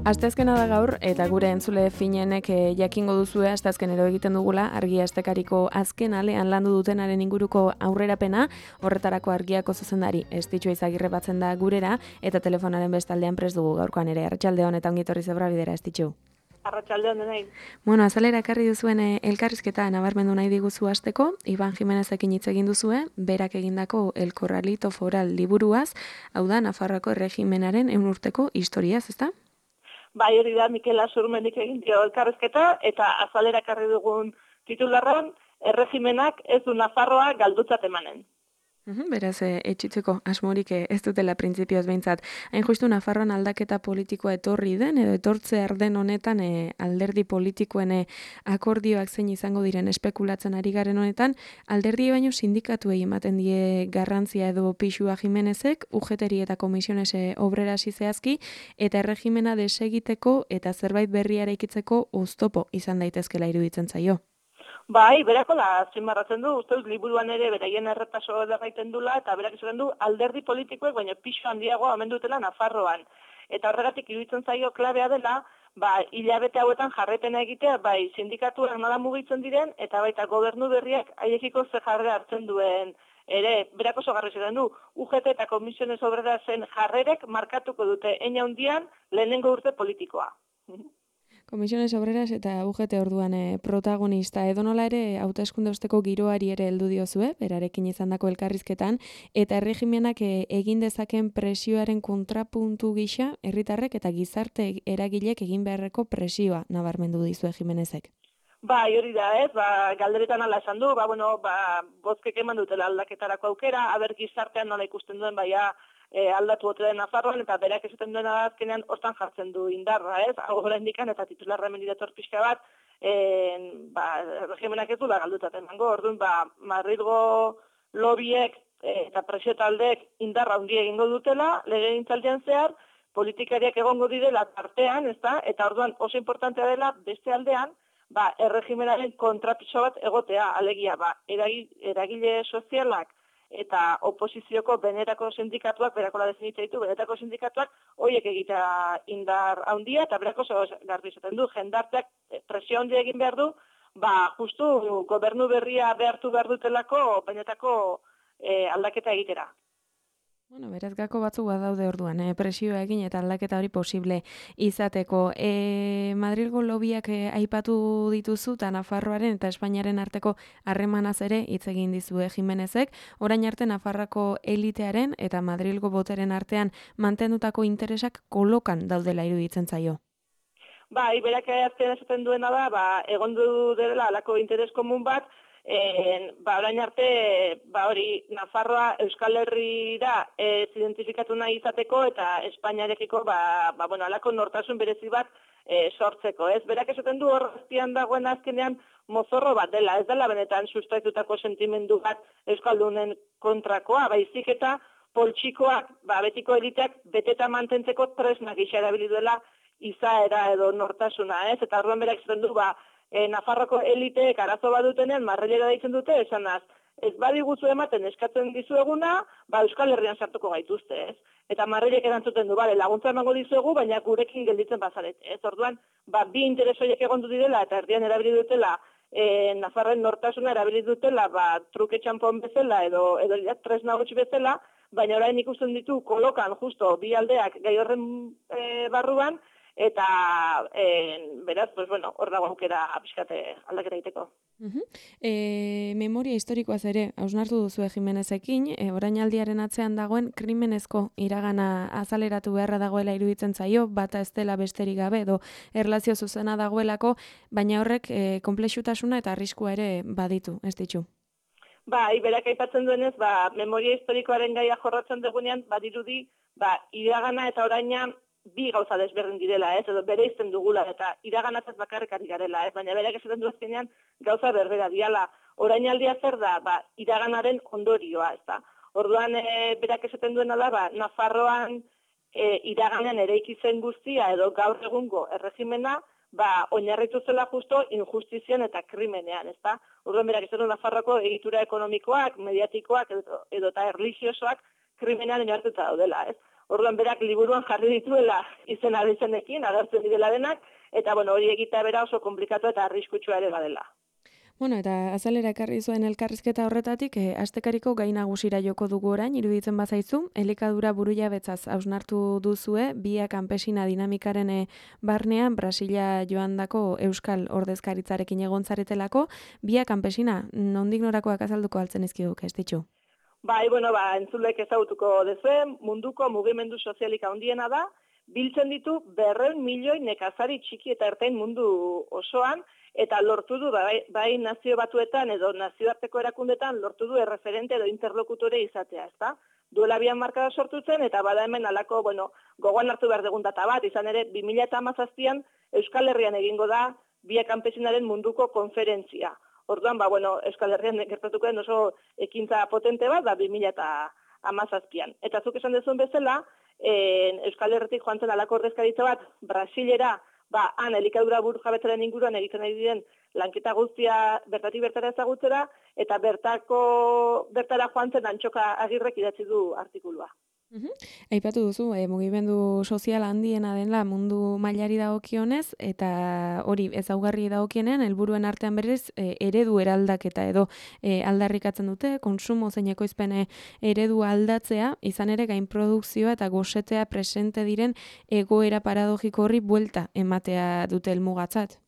Asteazkena da gaur, eta gure entzule finenek jakingo duzue asteazkenero egiten dugula argia astekariko azken alean landu dutenaren inguruko aurrerapena, horretarako argiako zuzendari Estitxu Izagirre batzen da gurera, eta telefonaren bestaldean prest dugu gaurkoan ere. Arratsaldeon eta ongi etorri Zebra Bidera, Estitxu. Arratsaldeon denei. Bueno, azalera ekarri duzuen elkarrizketa nabarmendu nahi diguzu hasteko, Iban Jimenezekin hitz egin duzue, berak egindako El Corralito Foral liburuaz, hau da Nafarroako erregimenaren 100 urteko historiaz, ezta? Bai, hori da Mikel Asurmenik egin dio elkarrizketa eta azalera ekarri dugun titularran erregimenak ez du Nafarroa galdutzat emanen. Beraz, etxitzeko asmorik ez dutela printzipioz behintzat. Hain justu Nafarroan aldaketa politikoa etorri den, edo etortzear den honetan alderdi politikoen akordioak zein izango diren espekulatzen ari garen honetan, alderdi baino sindikatuei ematen die garrantzia edo pixua Jimenezek, UGT-ri eta Komisiones Obrerasi zehazki, eta erregimena desegiteko eta zerbait berria eraikitzeko oztopo izan daitezkela iruditzen zaio. Bai, berako da azpimarratzen du, uste dut liburuan ere beraien errepaso egiten dula, eta berak esaten du alderdi politikoek baina pixu handiago hemen dutela Nafarroan. Eta horregatik iruditzen zaio klabea dela, hilabete hauetan jarraipena egitea, bai sindikatuak nola mugitzen diren, eta baita gobernu berriak haiekiko ze jarrera hartzen duen. Ere, berak oso garri ziren du, UGT eta Komisiones Obrerasen jarrerek markatuko dute hein handian lehenengo urte politikoa. Komisiones Obreras eta UGT orduan protagonista edonola ere hauteskunde osteko giroari ere heldu diozue, berarekin izandako elkarrizketan, eta erregimenak egin dezaken presioaren kontrapuntu gisa, herritarrek eta gizarte eragilek egin beharreko presioa nabarmendu dizue Jimenezek. Bai, hori da, ez, galderetan ala esan du, bozkek eman dutela aldaketarako aukera, aber gizartean nola ikusten duen aldatu ote den Nafarroan, eta berak esaten duena azkenean hortan jartzen du indarra, ez? Hau oraindikan eta titularra hemen dator pixka bat, regimenak ez dula galdutzat emango. Orduan, Madrilgo lobiek eta presio taldeek indarra handia egingo dutela, legegintzaldian zehar, politikariak egongo direla tartean, ezta? Eta orduan oso importantea dela beste aldean, erregimenaren kontrapiso bat egotea, alegia, eragile sozialak eta oposizioko benerako sindikatuak, berakola definitza ditu, benetako sindikatuak, horiek egitea indar handia, eta berako oso garbi izaten du, jendarteak presio handia egin behar du, justu gobernu berria behartu behar dutelako benetako aldaketa egitera. Bueno, beraz gako batzuk badaude orduan, presioa egin eta aldaketa hori posible izateko. Madrilgo lobiak aipatu dituzu eta Nafarroaren eta Espainiaren arteko harremanaz ere hitz egin dizue Jimenezek, orain arte Nafarrako elitearen eta Madrilgo boteren artean mantendutako interesak kolokan daudela iruditzen zaio. Bai, berak azken esaten duena da, egon du dela alako interes komun bat, orain arte, hori, Nafarroa Euskal Herrira identifikatu nahi izateko eta Espainiarekiko, alako nortasun berezi bat sortzeko, ez? Berak esaten du horreztian dagoen azkenean mozorro bat dela, ez dela benetan sustraitutako sentimendu bat Euskaldunen kontrakoa, baizik eta poltsikoak, betiko eliteak beteta mantentzeko tresnak gisa erabili duela izaera edo nortasuna, ez? Eta orduan berak esaten du, Nafarroko eliteek arazo badutenean marrelera deitzen dute, esanaz, ez badiguzu ematen eskatzen dizueguna, Euskal Herrian sartuko gaituzte, ez? Eta marrelek erantzuten du, laguntza emango dizuegu, baina gurekin gelditzen bazarete, ez? Orduan, bi interes horiek egondu direla eta erdian erabili dutela, Nafarren nortasuna erabili dutela, truke txanpon bezala edo tresna gutxi bezala, baina orain ikusten ditu kolokan justo bi aldeak gai horren barruan, eta beraz, hor dago aukera pixkate aldaketa egiteko. Memoria historikoaz ere, hausnartu duzue Jimenezekin, orainaldiaren atzean dagoen krimenezko iragana azaleratu beharra dagoela iruditzen zaio, bata ez dela besterik gabe, edo erlazio zuzena dagoelako, baina horrek konplexutasuna eta arriskua ere baditu, ez ditu? Bai, berak aipatzen duenez, memoria historikoaren gaia jorratzen dugunean, badirudi, iragana eta oraina bi gauza desberdin direla, ez, edo bere izten dugula, eta iraganataz bakarrik ari garela, ez, baina berak esaten du azkenean gauza berbera diala. Orainaldia zer da, iraganaren ondorioa, ez da. Orduan, berak esaten duena da, Nafarroan iraganean eraiki zen guztia, edo gaur egungo erregimena, oinarritu zela justo injustizian eta krimenean, ez da. Orduan, berak esaten du Nafarroko egitura ekonomikoak, mediatikoak, edo eta erlijiosoak krimenean oinarrituta daudela, ez. Orduan berak liburuan jarri dituela izena izenekin, agertzen direla denak, eta hori egitea bera oso komplikatu eta arriskutsua ere badela. Bueno, eta azalera ekarri zuen elkarrizketa horretatik, astekariko gai nagusira joko dugu orain, iruditzen bazaizu, elikadura burujabetzaz hausnartu duzue, Via Campesina dinamikaren barnean, Brasila joandako Euskal Ordezkaritzarekin egon zaretelako, Via Campesina, nondik norakoak azalduko altzen izkiduk, ez ditxu? Entzulek ezagutuko dezue, munduko mugimendu sozialik handiena da, biltzen ditu 200 milioi nekazari txiki eta ertain mundu osoan, eta lortu du, bai nazio batuetan edo nazioarteko erakundetan, lortu du erreferente edo interlokutore izatea, ezta? Duela 2 markada sortu zen, eta bada hemen alako, gogoan hartu behar dugun data bat, izan ere, 2017an Euskal Herrian egingo da Via Campesinaren munduko konferentzia. Orduan, Euskal Herrian gertatuko den oso ekintza potente bat, 2017an. Eta zuk esan dezuen bezala, Euskal Herritik joan zen alako ordezkaritza bat, Brasilera, han elikadura burujabetzaren inguruan egiten ari diren lanketa guztia bertatik bertara ezagutzera, eta bertara joan zen Antxoka Agirrek idatzi du artikulua. Aipatu duzu, mugimendu sozial handiena dela mundu mailari dagokionez, eta hori ezaugarri dagokienean, helburuen artean berez, eredu eraldaketa edo aldarrikatzen dute, konsumo zein ekoizpen eredu aldatzea, izan ere gainprodukzioa eta gosetea presente diren egoera paradogiko horri buelta ematea dute helmugatzat.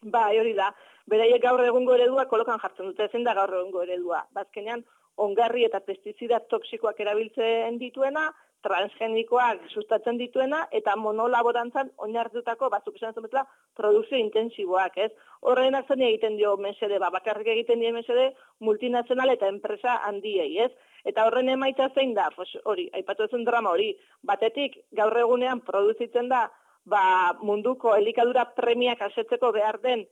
Hori da. Beraiek gaur egungo eredua kolokan jartzen dute, zein da gaur egungo eredua. Bazkenean, ongarri eta pestizida toksikoak erabiltzen dituena, transgenikoak sustatzen dituena, eta monolaborantzan oinarritutako, zuk esan bezala, produkzio intensiboak, ez? Horrenak zen egiten dio mesede, bakarrik egiten die mesede, multinazional eta enpresa handiei, ez? Eta horren emaitza zein da, hori, aipatu zen drama hori, batetik gaur egunean produzitzen da, munduko elikadura premiak asetzeko behar den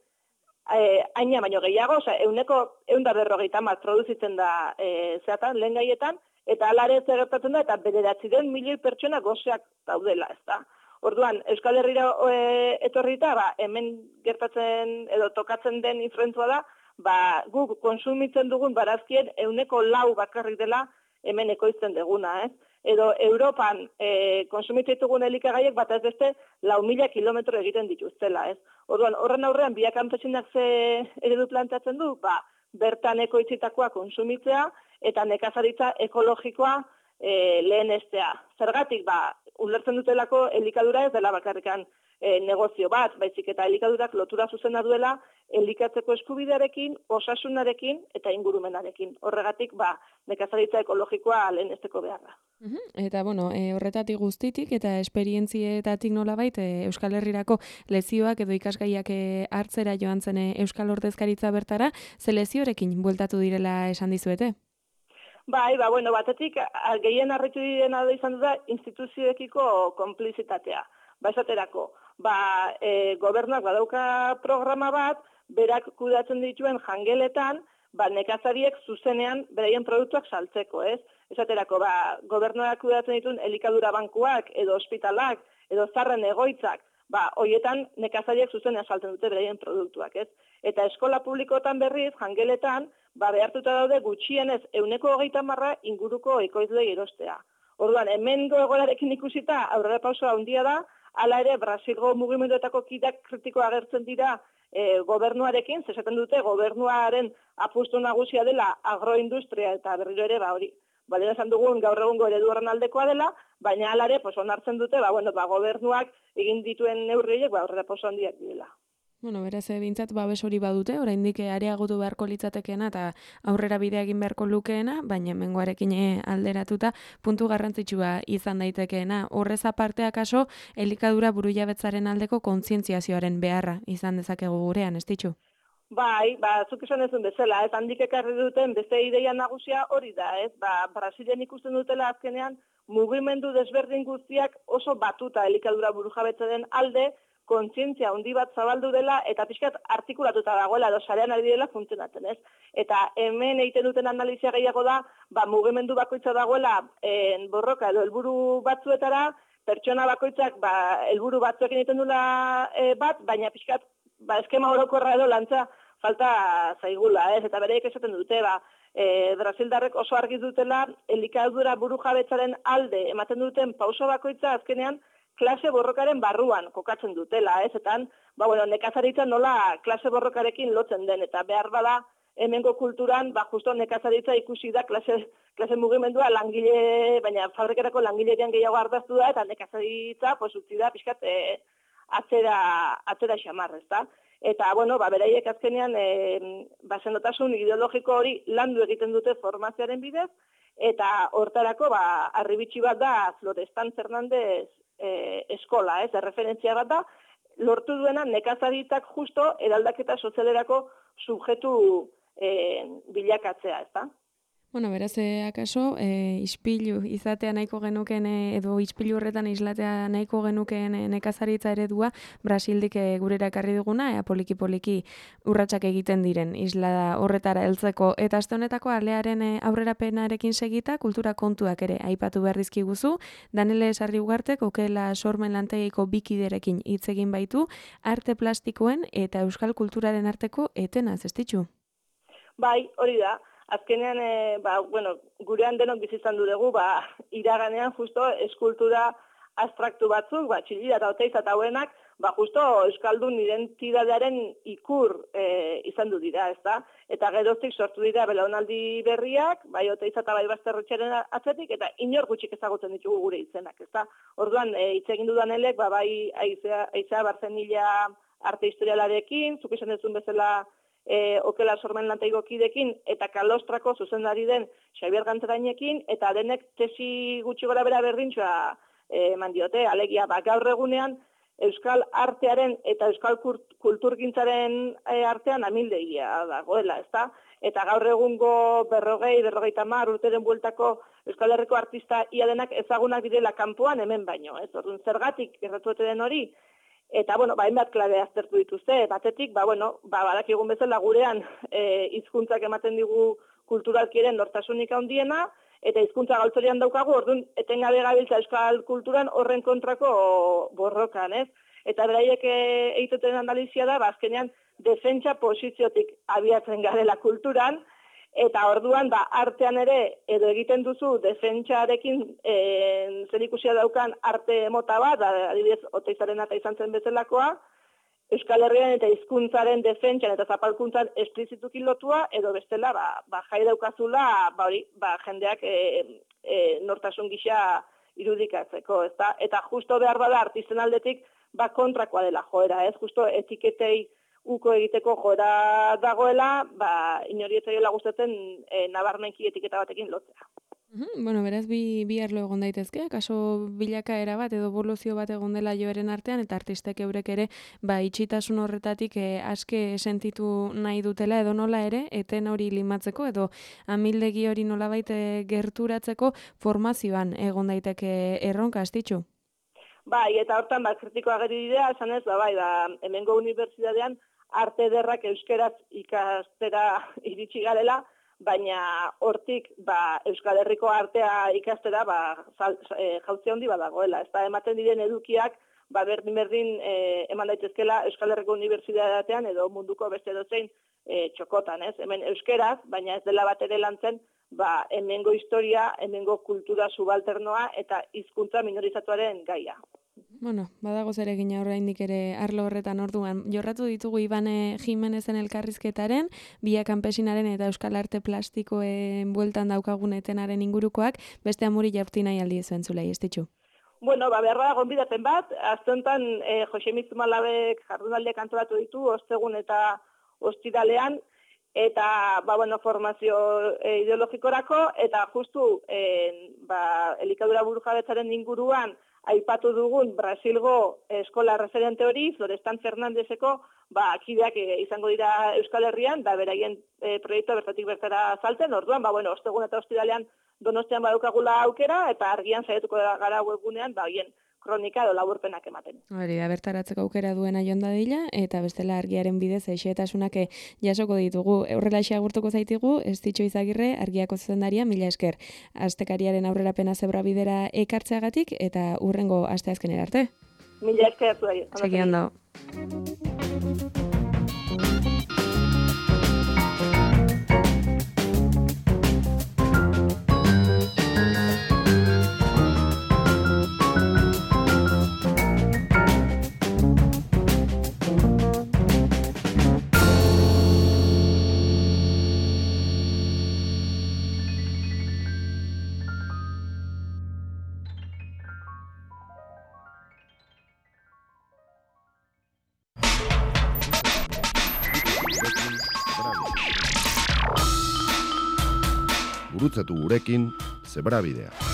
haina baino gehiago, euneko 150 produzitzen da zeatan, lehen gaietan, eta alare gertatzen da, eta 900 milioi pertsona gozeak daudela, ez da. Orduan, Euskal Herrira etorrita, hemen gertatzen edo tokatzen den influentzua da, guk konsumitzen dugun barazkien 4% bakarrik dela hemen ekoizten deguna, ez? Edo Europan konsumitzen ditugun elikagaiek bat ez beste 4.000 kilometro egiten dituztela, ez? Orduan, horren aurrean, Via Campesinak ze eredu planteatzen du, bertan ekoitzitakoa konsumitzea eta nekazaritza ekologikoa lehenestea. Zergatik, ulertzen dutelako elikadura ez dela bakarrikan negozio bat, baizik eta elikadurak lotura zuzena duela elikatzeko eskubidearekin, osasunarekin eta ingurumenarekin. Horregatik, nekazaritza ekologikoa lehenesteko beharra. Eta, horretatik guztitik eta esperientzietatik nolabait Euskal Herrirako lezioak edo ikasgaiak hartzera joan zen Euskal Ordezkaritza bertara, ze leziorekin bueltatu direla esan dizuete? Batetik, gehien harritu direna da izan da instituzioekiko konplizitatea. Esaterako, gobernuak badauka programa bat, berak kudatzen dituen jangeletan, nekazariek zuzenean beraien produktuak saltzeko, ez? Esaterako, gobernuak kudatzen dituen elikadura bankuak, edo ospitalak, edo zarren egoitzak, hoietan nekazariek zuzenean saltzen dute beraien produktuak, ez? Eta eskola publikoetan berriz, jangeletan, behartuta daude gutxienez 130 inguruko ekoizlei erostea. Orduan, hemengo egoerarekin ikusita aurrera pausoa handia da, hala ere, Brasilgo mugimenduetako kidak kritikoa agertzen dira gobernuarekin, zesaten dute gobernuaren apustu nagusia dela agroindustria eta berriro ere, hori, balera esan dugun gaur egungo eredu horren aldekoa dela, baina hala ere, onartzen dute, gobernuak egin dituen neurriek, aurrera pauso handiak direla. Beraz, bintzat, babes hori badute, oraindik areagotu beharko litzatekeena eta aurrera bidea egin beharko lukeena, baina hemengoarekin alderatuta puntu garrantzitsua izan daitekeena. Horrez aparte akaso, elikadura burujabetzaren aldeko kontzientziazioaren beharra izan dezakegu gurean, ez ditzu? Zuk esan ezun bezala, ez handik ekarri duten beste ideia nagusia hori da, ez? Brasilen ikusten dutela azkenean mugimendu desberdin guztiak oso batuta elikadura burujabetzaren alde, kontzientzia handi bat zabaldu dela eta pixkat artikulatuta dagoela edo sarean ari dela funtzionatzen, ez? Eta hemen egiten duten analizia gehiago da, mugimendu bakoitza dagoela borroka edo helburu batzuetara, pertsona bakoitzak helburu batzuekin egiten duela bat, baina pixkat eskema orokorra edo lantza falta zaigula, ez? Eta bereik esaten dute, Brasildarrek oso argi dutela, elikadura burujabetzaren alde ematen duten pauso bakoitza azkenean klase borrokaren barruan kokatzen dutela, ez? Eta, nekazaritza nola klase borrokarekin lotzen den, eta behar bada hemengo kulturan, justo nekazaritza ikusi da klase mugimendua baina fabrikerako langilerian gehiago ardaztu da, eta nekazaritza, utzi da, pixkat, atzera xamar, ezta? Eta, beraiek azkenean, senotasun ideologiko hori landu egiten dute formazioaren bidez, eta hortarako, arribitxi bat da, Florestan Fernandez eskola, ez, referentzia bat da, lortu duena nekazaritzak justo eraldaketa sozialerako subjektu bilakatzea, ezta? Beraz, akaso, ispilu izatea nahiko genuken, edo ispilu horretan islatea nahiko genuken nekazaritza eredua, Brasildik gurera ekarri duguna, poliki-poliki urratsak egiten diren isla horretara heltzeko. Eta aste honetako alearen aurrerapenarekin segita, kultura kontuak ere aipatu behar dizkiguzu, Danele Sarriugartek okela sormen lantegiko bikiderekin hitz egin baitu, arte plastikoen eta euskal kulturaren arteko etenaz, ez ditzu? Bai, hori da. Azkenean, gurean denok bizitzan dugu, iraganean justo eskultura abstraktu batzuk, Txillida eta Oteiza eta hauenak, justo euskaldun identitatearen ikur izan du dira, ezta? Eta geroztik sortu dira belaunaldi berriak, bai Oteiza eta bai Basterretxearen atzetik, eta inor gutxik ezagutzen ditugu gure izenak, ezta? Orduan, hitz egin dudan elek, bai Aizea Barzenilla arte historialarekin, zuk esan duzun bezala okela sormen lantegiko kidekin, eta Kalostrako zuzendari den Xabier Gantzerainekin, eta denek tesi gutxi gora bera berdintxoa eman diote, alegia, gaur egunean euskal artearen eta euskal kulturgintzaren artean amildegia dagoela, ezta? Eta gaur egungo 40-50 urteren bueltako Euskal Herriko artista ia denak ezagunak direla kanpoan hemen baino, ez? Orduan zergatik gertatu den hori? Eta, hainbat klabe aztertu dituzte, batetik, badakigun bezala gurean hizkuntzak ematen digu kulturalkiren nortasunik handiena, eta hizkuntza galtzorian daukagu, orduan, etengabe gabiltza euskal kulturan horren kontrako borrokan, ez? Eta beraiek egiten analizia da, azkenean, defentsa posiziotik abiatzen garela kulturan, eta orduan, artean ere, edo egiten duzu defentsarekin zerikusia daukan arte mota bat, adibidez, Oteizaren eta izan zen bezalakoa, Euskal Herrian eta hizkuntzaren defentsan eta zapalkuntzan esplizituki lotua, edo bestela, jai daukazula, jendeak nortasun gisa irudikatzeko, ezta? Eta justo behar bada artisten aldetik, kontrakoa dela joera, ez? Justo etiketei uko egiteko joera dagoela, inori etzaiola gustatzen nabarmenki etiketa batekin lotzea. Beraz, bi arlo egon daitezke, kaso bilakaera bat edo eboluzio bat egon dela joeren artean, eta artistek eurek ere, itxitasun horretatik aske sentitu nahi dutela edo nola ere, eten hori limatzeko edo amildegi hori nolabait gerturatzeko formazioan egon daiteke erronka, astitxu? Bai, eta hortan kritikoa geri dira, esan ez, hemengo unibertsitatean arte ederrak euskeraz ikastera iritsi garela, baina hortik Euskal Herriko artea ikastera jauzia handi badagoela. Ez da ematen diren edukiak berdin eman daitezkela Euskal Herriko unibertsitatean edo munduko beste dozein txokotan, ez? Hemen euskeraz, baina ez dela bat ere lantzen, hemengo historia, hemengo kultura subalternoa eta hizkuntza minorizatuaren gaia. Badago zer egin oraindik ere arlo horretan orduan. Jorratu ditugu Ibane Jimenezen elkarrizketaren, Bia Kanpesinaren eta Euskal Arte Plastikoen bueltan daukagun etenaren ingurukoak, beste amuri jaurti nahi aldiezu entzulei, ez ditxu? Beharra gonbidapen bat, azte honetan Jose Mitzumalabek jardunaldiak antolatu ditu, ostegun eta ostiralean, eta formazio ideologikorako, eta justu elikadura burujabetzaren inguruan aipatu dugun Brasilgo eskola referente hori, Florestan Fernandezeko, kideak izango dira Euskal Herrian, beraien proiektua bertatik bertara salten, orduan, ostegun eta ostiralean Donostian badukagula aukera, eta argian saiatuko gara webgunean, hien kronika edo laburpenak ematen. Hori da, bertaratzeko aukera duena joan dadila, eta bestela argiaren bidez xehetasunak jasoko ditugu. Horrelaxe agurtuko zaitigu, Estitxo Izagirre, argiako zuzendaria, mila esker. Astekariaren aurrerapena zebra bidera ekartzeagatik, eta urrengo asteazkenera arte. Mila esker zuari. Segi ondo. gurutzatu gurekin Zebrabidea.